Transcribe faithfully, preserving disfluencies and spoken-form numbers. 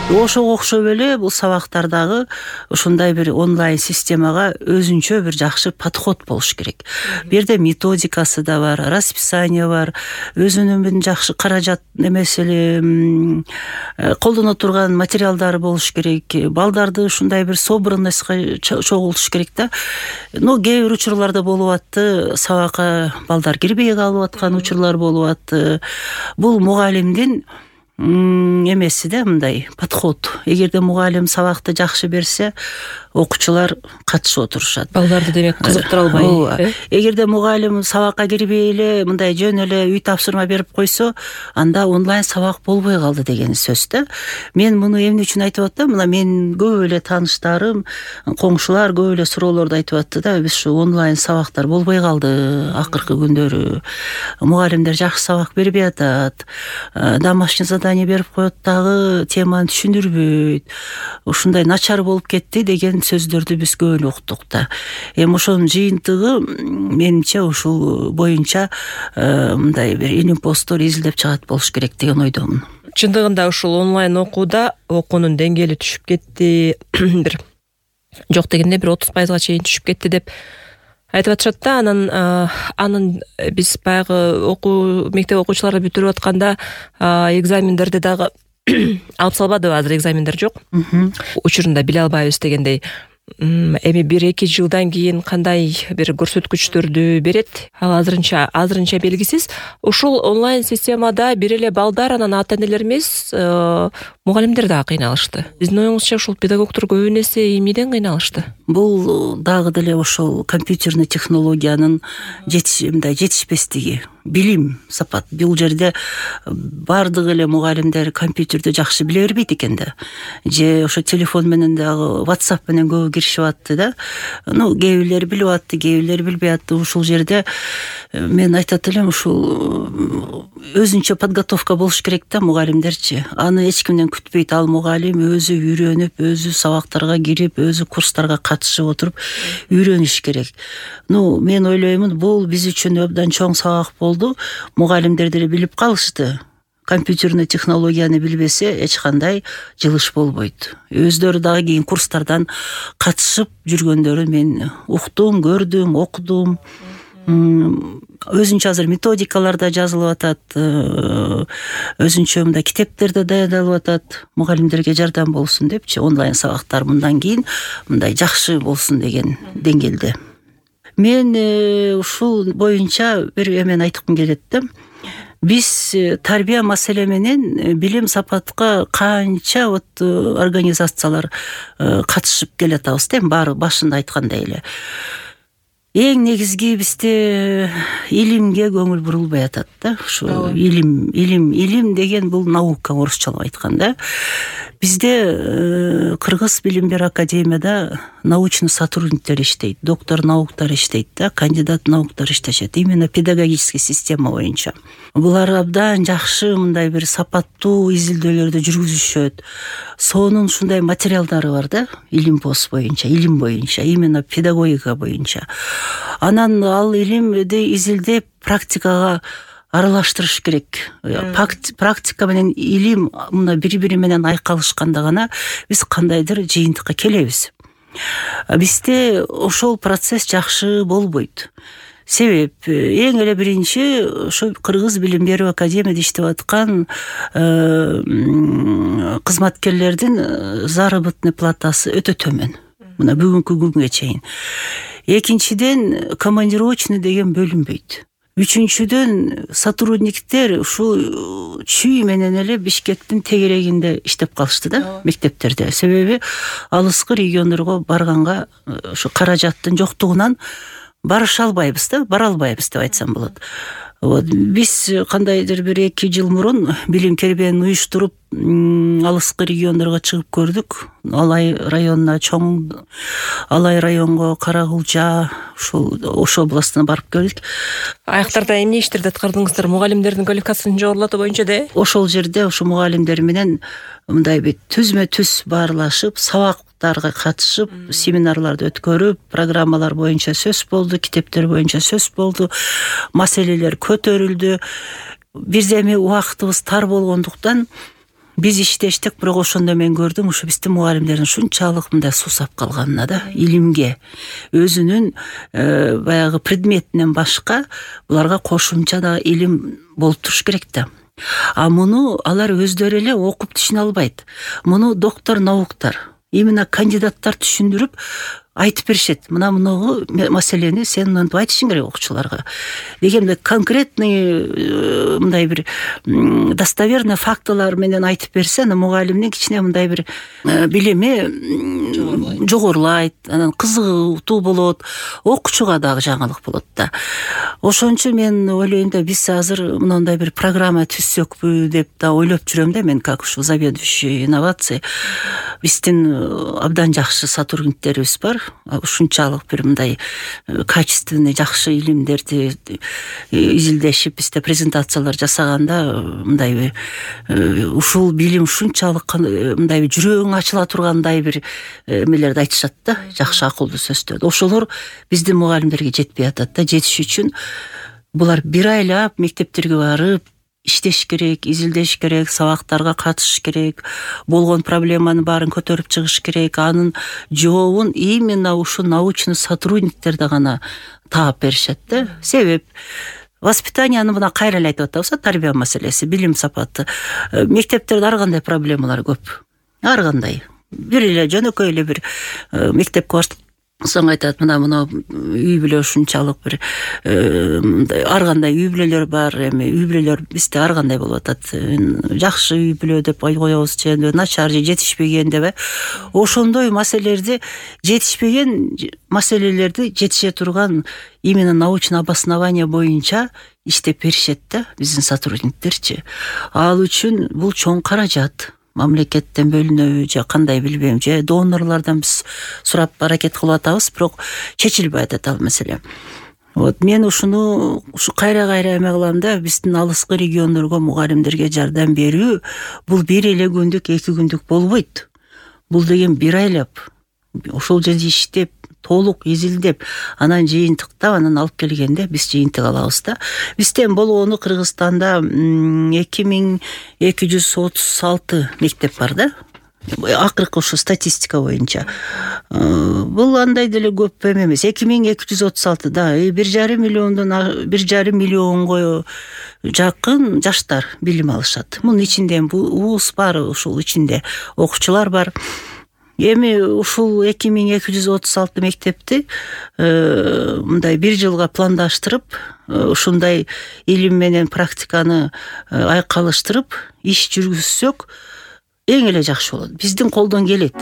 Ошого окшоп эле бул сабактардагы ушундай бир онлайн системага өзүнчө бир жакшы подход болуш керек. Бу жерде методикасы да бар, расписание бар, өзүнүн бир жакшы каражат эмес эле колдоно турган материалдары болуш керек. Балдарды ушундай бир собранностька чогултуш керек да. Но кээ бир учурларда болуп атты, сабакка балдар кирбей калып аткан учурлар болуп атты. Бул мугалимдин эмеси да, мындай подход. Эгерде мугалим сабакты жакшы берсе, окуучулар катышып отурушат. Балдарды демек кызыктыра албай. Эгерде мугалим сабакка кирбей эле мындай жөн эле үй тапшырма берип койсо, анда онлайн сабак болбой калды деген сөз да. Мен муну эмне үчүн айтып атам? Мына мен көп эле тааныштарым, коңшулар көп эле суроолорду айтып атты да. Биз ушу онлайн сабактар болбой калды акыркы күндөрү. Мугалимдер жакшы сабак бербей атат. Домашний задание берип коет дагы теманы түшүндүрбөйт. Ушундай начар болуп кетти деген сөздөрдү биз көп эле уктук да. Эми ошонун жыйынтыгы менимче ушул боюнча мындай бир илим посттор изилдеп чыгат болуш керек деген ойдомун. Чындыгында ушул онлайн окууда окуунун деңгээли түшүп кетти, бир жок дегенде бир отуз пайызга чейин түшүп кетти деп айтып атышат да. Анан анын биз баягы окуу мектеп окуучулары бүтүрүп атканда экзамендерди дагы алып салбадыбы? Азыр экзамендер жок. Учурунда биле албайбыз дегендей. Эми бир эки жылдан кийин кандай бир көрсөткүчтөрдү берет? Ал азырынча азырынча белгисиз. Ушул онлайн системада бир эле балдар, анан ата энелер эмес, мугалимдер дагы кыйналышты. Биздин оюңузча ушул педагогдор көбүн эсе эмнеден кыйналышты? Бул дагы деле ошол компьютерный технологиянын жетишпестиги. Билим сапат. Бул жерде бардык эле мугалимдер компьютерди жакшы биле бербейт экен да. Же ошо телефон менен дагы WhatsApp менен көбү киришип атты да. Ну, кээ бирлери билип атты, кээ бирлери билбей атты. Ушул жерде мен айтат элем, ушул өзүнчө подготовка болуш керек да мугалимдерчи. Аны эч кимден күтпөйт. Ал мугалим өзү үйрөнүп, өзү сабактарга кирип, өзү курстарга катышып отуруп үйрөнүш керек. Ну, мен ойлоймун, бул биз үчүн абдан чоң сабак болду. Мугалимдер деле билип калышты. Компьютерный технологияны билбесе эч кандай жылыш болбойт. Өздөрү дагы кийин курстардан катышып жүргөндөрүн мен уктум, көрдүм, окудум. Өзүнчө азыр методикалар да жазылып атат, өзүнчө мындай китептер да даярдалып атат, мугалимдерге жардам болсун депчи, онлайн сабактар мындан кийин мындай жакшы болсун деген деңгээлде. Мен ушул боюнча бир эмени айткым келет да. Биз тарбия маселе менен билим сапатка канча вот организациялар катышып келатабыз да, баары башында айткандай эле. Эң негизги бизде илимге көңүл бурулбай атат да. Ушу илим, илим, илим деген бул наука, орусчалап айтканда. Бизде Кыргыз билим берүү академияда научный сотрудниктер иштейт, доктор науктар иштейт да, кандидат науктар иштешет. Именно педагогический система боюнча. Булар абдан жакшы мындай бир сапаттуу изилдөөлөрдү жүргүзүшөт. Сонун ушундай материалдары бар да, илим пост боюнча, илим боюнча, именно педагогика боюнча. Анан ал илимди изилдеп практикага аралаштырыш керек. Практика менен илим мына бири-бири менен айкалышканда гана биз кандайдыр жыйынтыкка келебиз. Бизде ошол процесс жакшы болбойт. Себеп эң эле биринчи ошо Кыргыз билим берүү академияда иштеп аткан кызматкерлердин заработный платасы өтө төмөн. Мына бүгүнкү күнгө чейин. Экинчиден, командировочный деген бөлүнбөйт. Үчүнчүдөн, сотрудниктер ушул чүй менен эле Бишкектин тегерегинде иштеп калышты да, мектептерде. Себеби алыскы региондорго барганга ушу каражаттын жоктугунан барыша албайбыз да, бара албайбыз деп айтсам болот. Вот биз кандайдыр бир эки жыл мурун билим кербенин уюштуруп алыскы региондорго чыгып көрдүк. Алай районуна, чоң Алай районго, Карагулжа, ушул Ош областына барып келдик. Аяктарда эмне иштерди аткардыңыздар? Мугалимдердин квалификациясын жогорулатуу боюнча да? Ошол жерде ушу мугалимдер менен мындай бир түзмө-түз баарлашып, сабактарга катышып, семинарларды өткөрүп, программалар боюнча сөз болду, китептер боюнча сөз болду, маселелер көтөрүлдү. Бирде эми убактыбыз тар болгондуктан биз иштештик, бирок ошондо мен көрдүм ушу биздин мугалимдердин ушунчалык мындай суусап калганына да, илимге, өзүнүн баягы предметинен башка буларга кошумча да илим болуп туруш керек да. А муну алар өздөрү эле окуп түшүнө албайт. Муну доктор науктар, именно кандидаттар түшүндүрүп айтып беришет. Мына мунугу маселени сен мынтип айтышың керек окуучуларга дегенде конкретный мындай бир достоверный фактылар менен айтып берсе, аны мугалимдин кичине мындай бир билими жогорулайт, анан кызыгуу болот, окуучуга дагы жаңылык болот да. Ошон үчүн мен ойлойм да, биз азыр мындай бир программа түзсөкпү деп да ойлоп жүрөм да мен, как ушу заведующий инновации. Биздин абдан жакшы сотрудниктерибиз бар. Ушунчалык бир мындай качественный жакшы илимдерди изилдешип, бизде презентациялар жасаганда мындай ушул билим ушунчалык мындай жүрөгүң ачыла тургандай бир эмелерди айтышат да, жакшы акылдуу сөздөрдү. Ошолор биздин мугалимдерге жетпей атат да. Жетиш үчүн булар бир айлап мектептерге барып иштеш керек, изилдеш керек, сабактарга катышыш керек, болгон проблеманын баарын көтөрүп чыгыш керек. Анын жообун именно ушу научный сотрудниктерде гана таап беришет да. Себеп воспитанияны мына кайра эле айтып атабыз, тарбия маселеси, билим сапаты. Мектептерде ар кандай проблемалар көп. Ар кандай. Бир эле жөнөкөй эле бир мектепке барсаң соң айтат, мына мына үй бүлө ушунчалык бир ар кандай үй бүлөлөр бар, эми үй бүлөлөр бизде ар кандай болуп атат. Жакшы үй бүлө деп коебуз, же начар, же жетишпеген деп. Ошондой маселелерди, жетишпеген маселелерди жетише турган именно научный обоснование боюнча иштеп беришет да биздин сотрудниктерчи. Ал үчүн бул чоң каражат. Мамлекеттен бөлүнөбү же кандай билбейм, же донорлордон биз сурап аракет кылып атабыз, бирок чечилбей атат ал маселе. Вот мен ушуну ушу кайра-кайра эме кылам да, биздин алыскы региондорго мугалимдерге жардам берүү бул бир эле күндүк, эки күндүк болбойт. Бул деген бир айлап ошол жерде иштеп, толук изилдеп, анан жыйынтыктап, анан алып келгенде биз жыйынтык алабыз да. Бизден болгону Кыргызстанда эки миң эки жүз отуз алты мектеп бар да. Акыркы ушу статистика боюнча. Бул андай деле көп эмес. эки миң эки жүз отуз алты да, бир жарым миллиондон бир жарым миллионго жакын жаштар билим алышат. Мунун ичинде вуз бар, ушул ичинде окуучулар бар. Эми ушул эки миң эки жүз отуз алты мектепти мындай бир жылга пландаштырып, ушундай илим менен практиканы айкалыштырып иш жүргүзсөк эң эле жакшы болот. Биздин колдон келет.